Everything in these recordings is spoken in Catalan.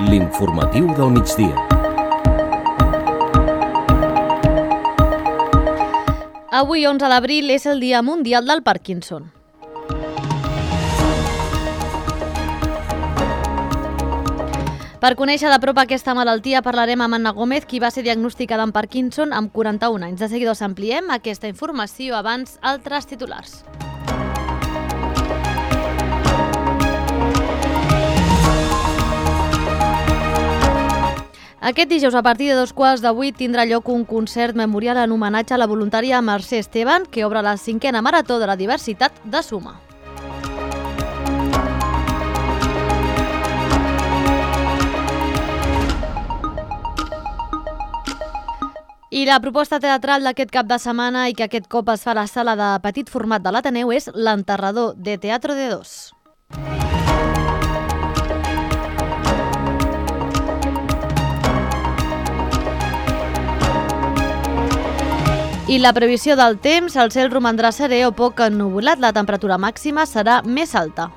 L'informatiu del migdia. Avui, 11 d'abril, és el Dia Mundial del Parkinson. Per conèixer de prop aquesta malaltia parlarem amb Anna Gómez, qui va ser diagnosticada amb Parkinson amb 41 anys. De seguida us ampliem aquesta informació, abans altres titulars. Aquest dijous, a partir de 7:15, tindrà lloc un concert memorial en homenatge a la voluntària Mercè Esteban, que obre la 5a Marató de la Diversitat de Suma. I la proposta teatral d'aquest cap de setmana i que aquest cop es fa a la sala de petit format de l'Ateneu és L'Enterrador, de Teatro de Dos. I la previsió del temps, el cel romandrà serè o poc ennuvolat, la temperatura màxima serà més alta.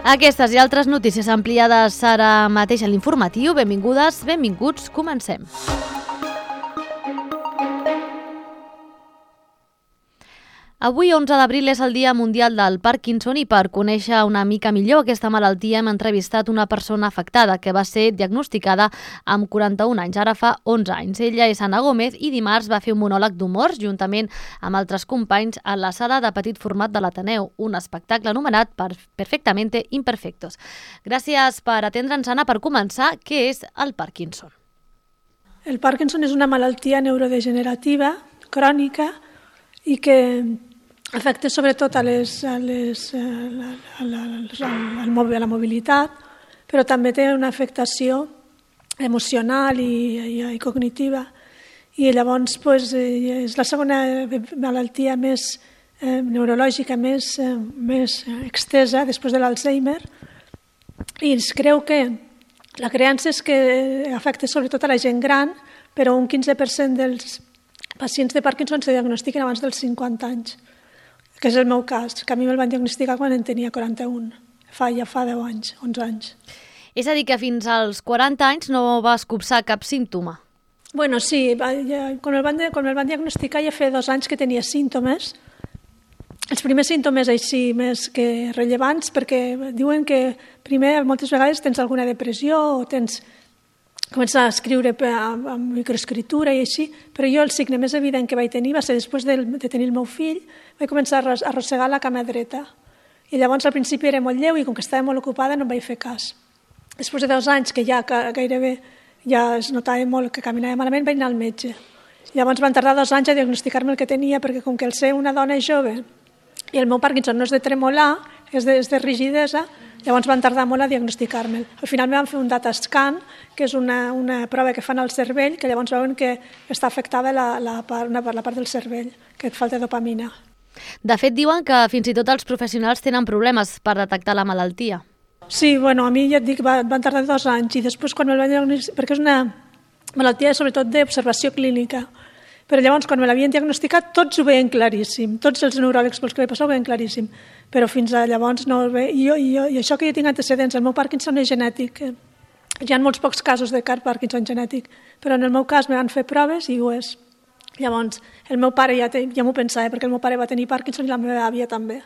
Aquestes i altres notícies ampliades ara mateix a l'informatiu. Benvingudes, benvinguts, comencem. Avui, 11 d'abril, és el Dia Mundial del Parkinson i per conèixer una mica millor aquesta malaltia hem entrevistat una persona afectada que va ser diagnosticada amb 41 anys, ara fa 11 anys. Ella és Anna Gómez i dimarts va fer un monòleg d'humor juntament amb altres companys a la sala de petit format de l'Ateneu, un espectacle anomenat Perfectamente Imperfectos. Gràcies per atendre'ns, Anna. Per començar, què és el Parkinson? El Parkinson és una malaltia neurodegenerativa crònica i que afecta sobretot a la mobilitat, però també té una afectació emocional i cognitiva. I llavors és la segona malaltia més neurològica més extesa després de l'Alzheimer, i es creu que la creença és que afecta sobretot a la gent gran, però un 15% dels pacients de Parkinson se diagnostiquen abans dels 50 anys, que és el meu cas, que a mi me'l van diagnosticar quan en tenia 41, ja fa 10 anys, 11 anys. És a dir, que fins als 40 anys no vas copsar cap símptoma? Bueno, sí, quan me'l van diagnosticar ja feia 2 anys que tenia símptomes. Els primers símptomes així més que rellevants, perquè diuen que primer moltes vegades tens alguna depressió o comença a escriure amb microescriptura i així, però jo el signe més evident que vaig tenir va ser després de tenir el meu fill, vaig començar a arrossegar la cama dreta. I llavors al principi era molt lleu i com que estava molt ocupada no em vaig fer cas. Després de 2 anys que ja gairebé ja es notava molt que caminava malament, vaig anar al metge. Llavors van tardar 2 anys a diagnosticar-me el que tenia, perquè com que el ser una dona jove i el meu Parkinson no és de tremolar, és de rigidesa, llavors van tardar molt a diagnosticar-me'l. Al final me van fer un data scan, que és una prova que fan al cervell, que llavors veuen que està afectada la part del cervell, que et falta dopamina. De fet, diuen que fins i tot els professionals tenen problemes per detectar la malaltia. Sí, bueno, a mi ja et dic, van tardar 2 anys, i després quan me'l van diagnosticar, perquè és una malaltia sobretot d'observació clínica, però llavors quan me l'havien diagnosticat tots ho veien claríssim, tots els neuròlegs pels que vaig passar ho veien claríssim, però fins a llavors no ho veia. I això que jo tinc antecedents, el meu Parkinson és genètic, hi ha molts pocs casos de Parkinson genètic, però en el meu cas me van fer proves i ho és. Llavors el meu pare ja m'ho pensava, perquè el meu pare va tenir Parkinson i la meva àvia també.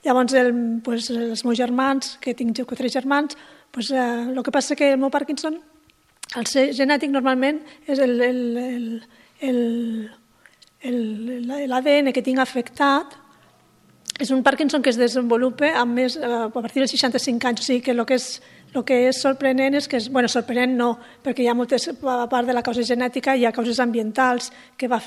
Llavors els meus germans, que tinc 4 germans, el que passa que el meu Parkinson, el ser genètic normalment és l'ADN que tinc afectat, és un Parkinson que es desenvolupa a partir dels 65 anys, o sigui que el que és sorprenent és que, sorprenent no, perquè hi ha moltes, a part de la causa genètica, hi ha causes ambientals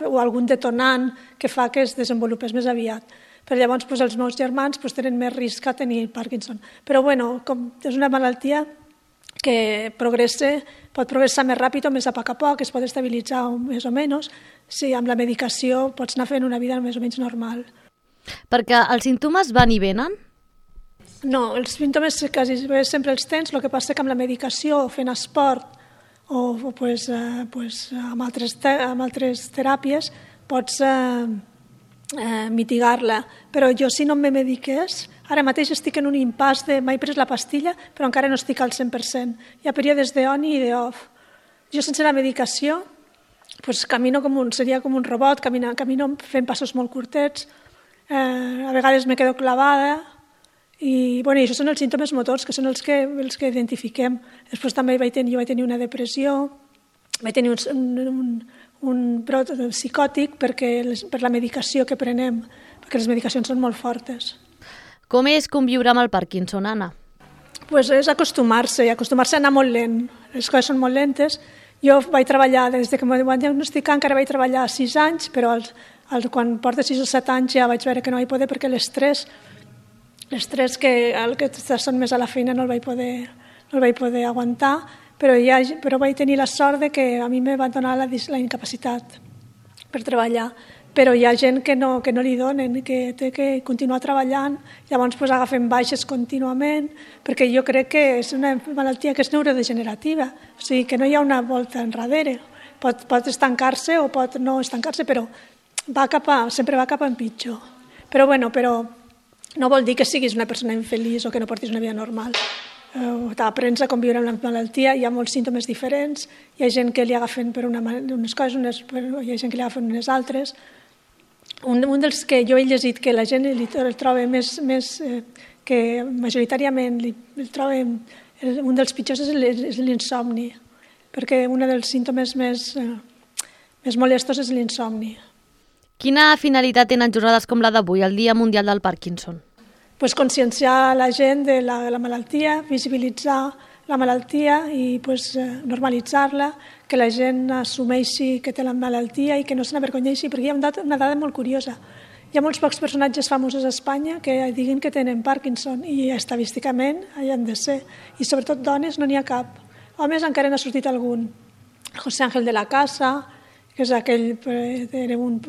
o algun detonant que fa que es desenvolupés més aviat. Però llavors els meus germans tenen més risc a tenir Parkinson. Però com és una malaltia que pot progressar més ràpid o més a poc, es pot estabilitzar més o menys. Sí, amb la medicació pots anar fent una vida més o menys normal. Perquè els símptomes van i venen? No, els símptomes quasi sempre els tens, el que passa que amb la medicació, fent esport o amb altres teràpies pots mitigar-la. Però jo, si no me mediqués, ara mateix estic en un impàs de m'he pres la pastilla, però encara no estic al 100%. Hi ha períodes d'on i d'off. Jo, sense la medicació, camino seria com un robot, camino fent passos molt curtets, a vegades me quedo clavada, i això són els símptomes motors, que són els que identifiquem. Després també jo vaig tenir una depressió, vaig tenir un brot psicòtic per la medicació que prenem, perquè les medicacions són molt fortes. Com és conviure amb el Parkinson, Anna? És acostumar-se a anar molt lent. Les coses són molt lentes. Jo vaig treballar, des que m'ho van diagnosticar, encara vaig treballar 6 anys, però quan porta 6 o 7 anys ja vaig veure que no vaig poder, perquè l'estrès que són més a la feina no el vaig poder aguantar, però vaig tenir la sort de que a mi me van donar la incapacitat per treballar. Però hi ha gent que no li donen, que té que continuar treballant, llavors agafen baixes contínuament, perquè jo crec que és una malaltia que és neurodegenerativa, o sigui que no hi ha una volta enrere. Pot estancar-se o pot no estancar-se, però sempre va cap a pitjor. Però no vol dir que siguis una persona infeliç o que no portis una vida normal. Aprens a conviure amb la malaltia, hi ha molts símptomes diferents, hi ha gent que li agafen per unes coses, hi ha gent que li agafen unes altres. Un dels que jo he llegit que la gent el troba més que majoritàriament el troba un dels pitjors és l'insomni, perquè un dels símptomes més molestos és l'insomni. Quina finalitat tenen jornades com la d'avui, el Dia Mundial del Parkinson? Conscienciar la gent de la malaltia, visibilitzar la malaltia i normalitzar-la, que la gent assumeixi que té la malaltia i que no se n'avergonyeixi, perquè hi ha una dada molt curiosa. Hi ha molts pocs personatges famosos a Espanya que diguin que tenen Parkinson i estadísticament hi han de ser. I sobretot dones no n'hi ha cap. Homes encara n'ha sortit algun. José Ángel de la Casa, que és era un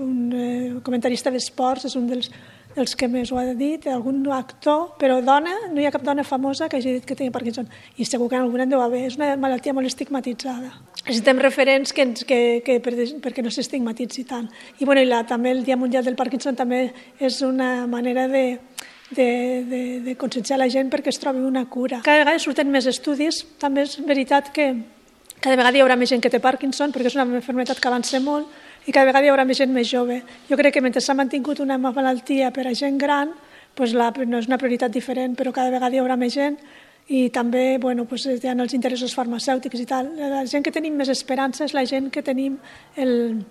comentarista d'esports, és un dels que més ho ha dit, algun actor, però dona, no hi ha cap dona famosa que hagi dit que té Parkinson. I segur que en alguna en deu haver. És una malaltia molt estigmatitzada. Necessitem referents perquè no s'estigmatitzi tant. I també el Dia Mundial del Parkinson també és una manera de conscienciar la gent perquè es trobi una cura. Cada vegada surten més estudis. També és veritat que cada vegada hi haurà més gent que té Parkinson, perquè és una malaltia que avança molt, i cada vegada hi haurà més gent més jove. Jo crec que mentre s'ha mantingut una malaltia per a gent gran, no és una prioritat diferent, però cada vegada hi haurà més gent i també hi ha els interessos farmacèutics i tal. La gent que tenim més esperança és la gent que tenim el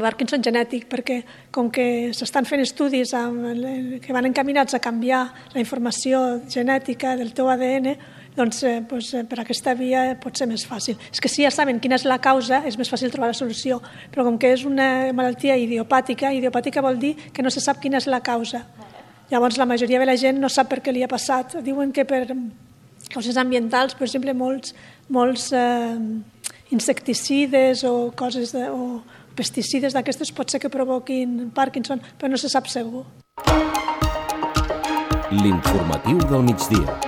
Parkinson genètic, perquè com que s'estan fent estudis que van encaminats a canviar la informació genètica del teu ADN, doncs per aquesta via pot ser més fàcil. És que si ja saben quina és la causa, és més fàcil trobar la solució, però com que és una malaltia idiopàtica vol dir que no se sap quina és la causa. Llavors la majoria de la gent no sap per què li ha passat. Diuen que per causes ambientals, per exemple, molts insecticides o pesticides d'aquestes pot ser que provoquin Parkinson, però no se sap segur. L'informatiu del migdia.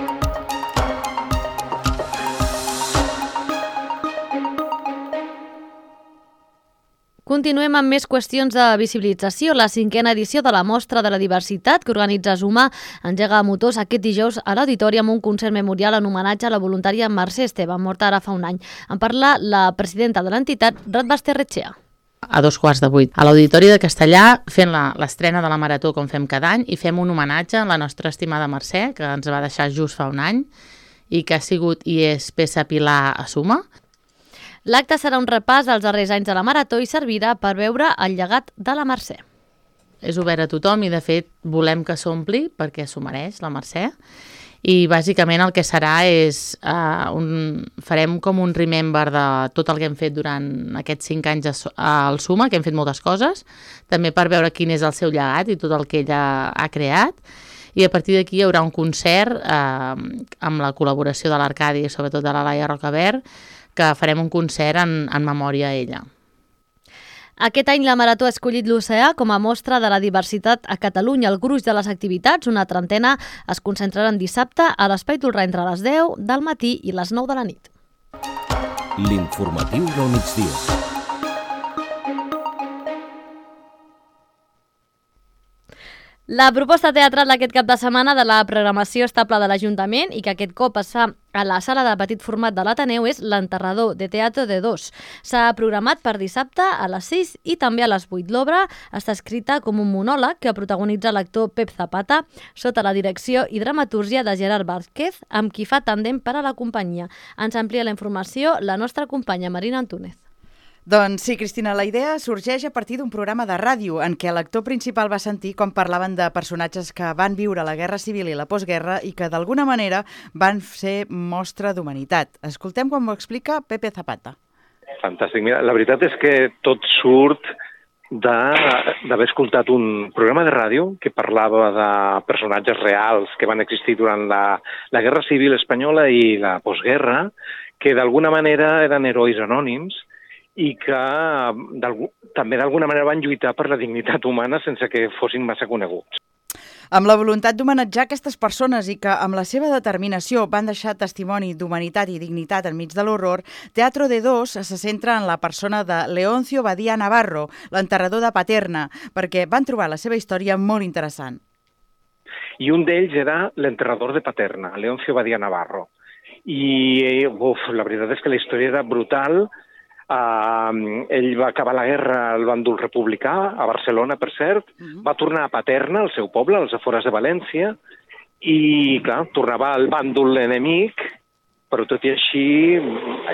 Continuem amb més qüestions de visibilització. La 5a edició de la Mostra de la Diversitat que organitza Suma engega motors aquest dijous a l'Auditori amb un concert memorial en homenatge a la voluntària Mercè Esteve, morta ara fa un any. En parla la presidenta de l'entitat, Ratbaz Terretxea. A 7:15 a l'Auditori de Castellà, fent l'estrena de la Marató com fem cada any, i fem un homenatge a la nostra estimada Mercè, que ens va deixar just fa un any i que ha sigut i és peça pilar a Suma. L'acte serà un repàs als darrers anys de la Marató i servirà per veure el llegat de la Mercè. És obert a tothom i, de fet, volem que s'ompli perquè s'ho mereix, la Mercè. I, bàsicament, el que serà és... farem com un remember de tot el que hem fet durant aquests 5 anys al Suma, que hem fet moltes coses, també per veure quin és el seu llegat i tot el que ella ha creat. I a partir d'aquí hi haurà un concert amb la col·laboració de l'Arcadi i sobretot de la Laia Rocabert, que farem un concert en memòria a ella. Aquest any la Marató ha escollit l'Oceà com a mostra de la diversitat a Catalunya. El gruix de les activitats, una trentena, es concentraran dissabte a l'Espai Tolrà entre les 10 del matí i les 9 de la nit. L'informatiu del migdia. La proposta teatral d'aquest cap de setmana de la programació estable de l'Ajuntament i que aquest cop es fa a la sala de petit format de l'Ateneu és L'Enterrador, de Teatro de Dos. S'ha programat per dissabte a les 6 i també a les 8. L'obra està escrita com un monòleg que protagonitza l'actor Pep Zapata sota la direcció i dramatúrgia de Gerard Vázquez, amb qui fa tàndem per a la companyia. Ens amplia la informació la nostra companya Marina Antúnez. Doncs sí, Cristina, la idea sorgeix a partir d'un programa de ràdio en què l'actor principal va sentir com parlaven de personatges que van viure la Guerra Civil i la postguerra i que d'alguna manera van ser mostra d'humanitat. Escoltem com ho explica Pepe Zapata. Fantàstic. Mira, la veritat és que tot surt d'haver escoltat un programa de ràdio que parlava de personatges reals que van existir durant la Guerra Civil espanyola i la postguerra, que d'alguna manera eren herois anònims i que també d'alguna manera van lluitar per la dignitat humana sense que fossin massa coneguts. Amb la voluntat d'homenatjar aquestes persones i que amb la seva determinació van deixar testimoni d'humanitat i dignitat enmig de l'horror, Teatro de Dos se centra en la persona de Leoncio Badía Navarro, l'enterrador de Paterna, perquè van trobar la seva història molt interessant. I un d'ells era l'enterrador de Paterna, Leoncio Badía Navarro. I la veritat és que la història era brutal. Ell va acabar la guerra al bàndol republicà, a Barcelona, per cert, va tornar a Paterna, al seu poble, als afores de València, i, clar, tornava al bàndol enemic, però tot i així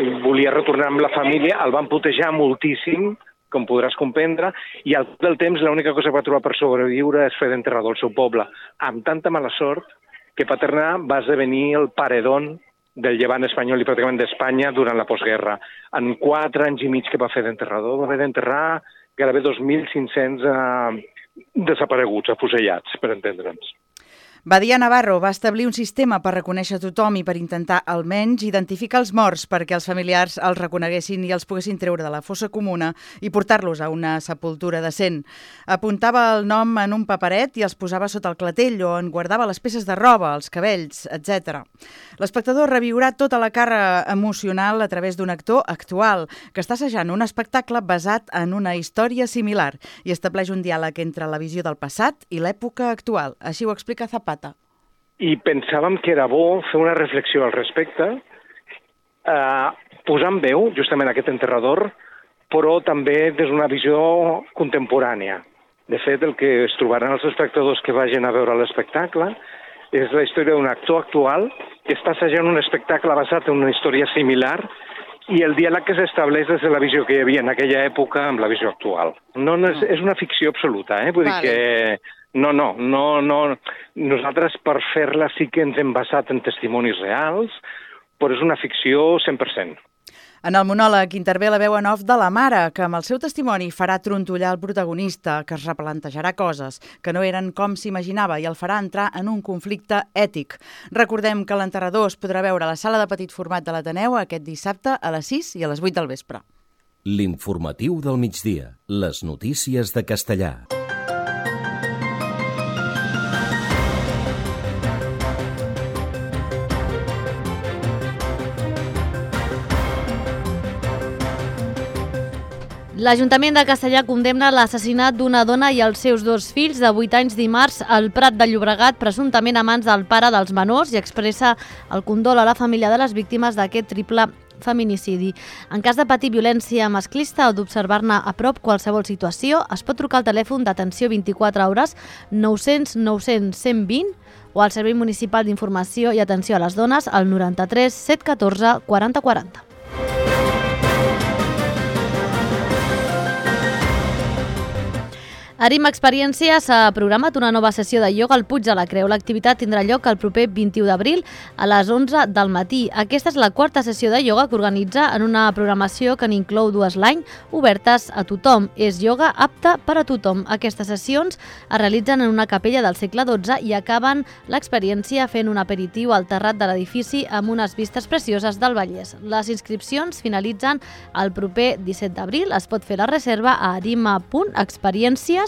ell volia retornar amb la família, el van putejar moltíssim, com podràs comprendre, i al cap del temps l'única cosa que va trobar per sobreviure és fer d'enterrador al seu poble, amb tanta mala sort que Paterna va esdevenir el paredón del llevant espanyol i pràcticament d'Espanya durant la postguerra. En 4 anys i mig que va fer d'enterrador, va haver d'enterrar gairebé 2.500 desapareguts, afusellats, per entendre'ns. Badía Navarro va establir un sistema per reconèixer tothom i per intentar almenys identificar els morts perquè els familiars els reconeguessin i els poguessin treure de la fossa comuna i portar-los a una sepultura decent. Apuntava el nom en un paperet i els posava sota el clatell o en guardava les peces de roba, els cabells, etc. L'espectador reviurà tota la càrrega emocional a través d'un actor actual que està assajant un espectacle basat en una història similar i estableix un diàleg entre la visió del passat i l'època actual. Així ho explica Zapata. I pensàvem que era bo fer una reflexió al respecte, posar en veu justament aquest enterrador, però també des d'una visió contemporània. De fet, el que es trobaran els espectadors que vagin a veure l'espectacle és la història d'un actor actual que està assajant un espectacle basat en una història similar i el diàleg que s'estableix des de la visió que hi havia en aquella època amb la visió actual. No, és una ficció absoluta, vull dir que no. Nosaltres per fer-la sí que ens hem basat en testimonis reals, però és una ficció 100%. En el monòleg intervé la veu en off de la mare, que amb el seu testimoni farà trontollar el protagonista, que es replantejarà coses que no eren com s'imaginava i el farà entrar en un conflicte ètic. Recordem que l'enterrador es podrà veure a la sala de petit format de l'Ateneu aquest dissabte a les 6 i a les 8 del vespre. L'informatiu del migdia. Les notícies de Castellà. L'Ajuntament de Castellà condemna l'assassinat d'una dona i els seus 2 fills de 8 anys dimarts al Prat de Llobregat, presumptament a mans del pare dels menors, i expressa el condol a la família de les víctimes d'aquest triple feminicidi. En cas de patir violència masclista o d'observar-ne a prop qualsevol situació, es pot trucar al telèfon d'atenció 24 hores 900 900 120 o al Servei Municipal d'Informació i Atenció a les Dones al 93 714 40 40. Arim Experiència s'ha programat una nova sessió de ioga al Puig de la Creu. L'activitat tindrà lloc el proper 21 d'abril a les 11 del matí. Aquesta és la 4ª sessió de ioga que organitza en una programació que n'inclou 2 l'any, obertes a tothom. És ioga apte per a tothom. Aquestes sessions es realitzen en una capella del segle XII i acaben l'experiència fent un aperitiu al terrat de l'edifici amb unes vistes precioses del Vallès. Les inscripcions finalitzen el proper 17 d'abril. Es pot fer la reserva a arima.experiències@gmail.com.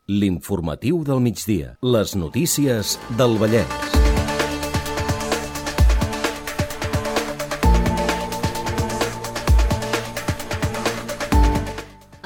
L'informatiu del migdia. Les notícies del Vallès.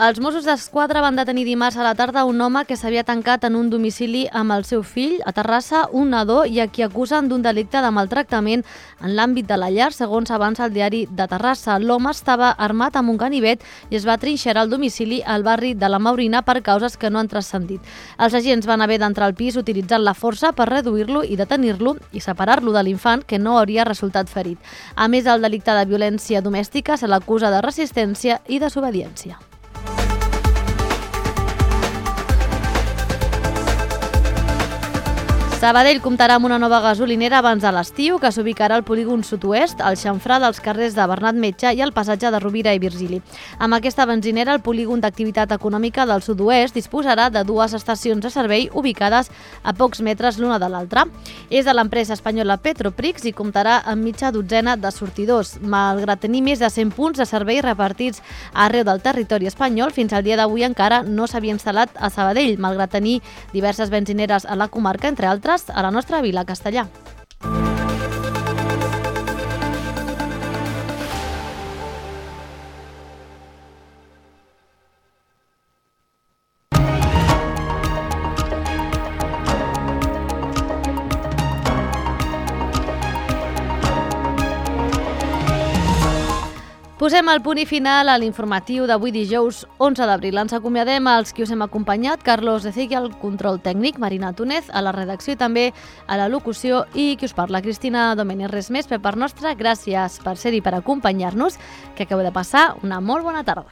Els Mossos d'Esquadra van detenir dimarts a la tarda un home que s'havia tancat en un domicili amb el seu fill a Terrassa, un nadó, i a qui acusen d'un delicte de maltractament en l'àmbit de la llar, segons avança el diari de Terrassa. L'home estava armat amb un ganivet i es va trinxerar al domicili al barri de la Maurina per causes que no han transcendit. Els agents van haver d'entrar al pis utilitzant la força per reduir-lo i detenir-lo i separar-lo de l'infant, que no hauria resultat ferit. A més, el delicte de violència domèstica se l'acusa de resistència i desobediència. Sabadell comptarà amb una nova gasolinera abans de l'estiu, que s'ubicarà al polígon sud-oest, al xamfrà dels carrers de Bernat Metge i al passatge de Rovira i Virgili. Amb aquesta benzinera, el polígon d'activitat econòmica del sud-oest disposarà de 2 estacions de servei ubicades a pocs metres l'una de l'altra. És de l'empresa espanyola Petroprix i comptarà amb mitja dotzena de sortidors. Malgrat tenir més de 100 punts de servei repartits arreu del territori espanyol, fins al dia d'avui encara no s'havia instal·lat a Sabadell, malgrat tenir diverses benzineres a la comarca, entre altres a la nostra vila, Castellà. Posem el punt i final a l'informatiu d'avui dijous 11 d'abril. Ens acomiadem als qui us hem acompanyat, Carlos Ezeiga al control tècnic, Marina Túnez a la redacció i també a la locució, i qui us parla, Cristina Domènech. Res més per part nostra, gràcies per ser-hi, per acompanyar-nos, que acabeu de passar una molt bona tarda.